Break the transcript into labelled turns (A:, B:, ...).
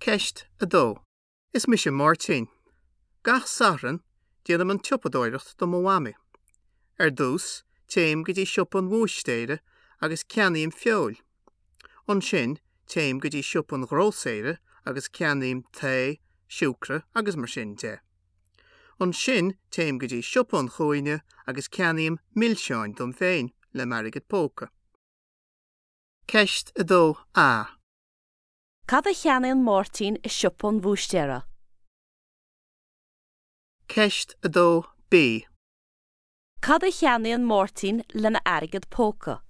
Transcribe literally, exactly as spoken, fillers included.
A: Ceist a dó. Is mise Máirtín. Gach Satharn déanaim an tsiopadóireacht do mo mhamaí. Ar dtús téim go dtí siopa an bhúistéara agus ceannaím feoil. Ansin téim go dtí siopa an ghrósaera agus ceannaím tae, siúcra agus mar sin de. Ansin téim go dtí siopa an chúinne agus ceannaím milseáin dom féin le m'airgead póca. Ceist a dó A.
B: Cad a cheannaíonn Máirtín i siopa an bhúistéara?
A: Ceist a dó B.
B: Cad a cheannaíonn Máirtín lena airgead póca?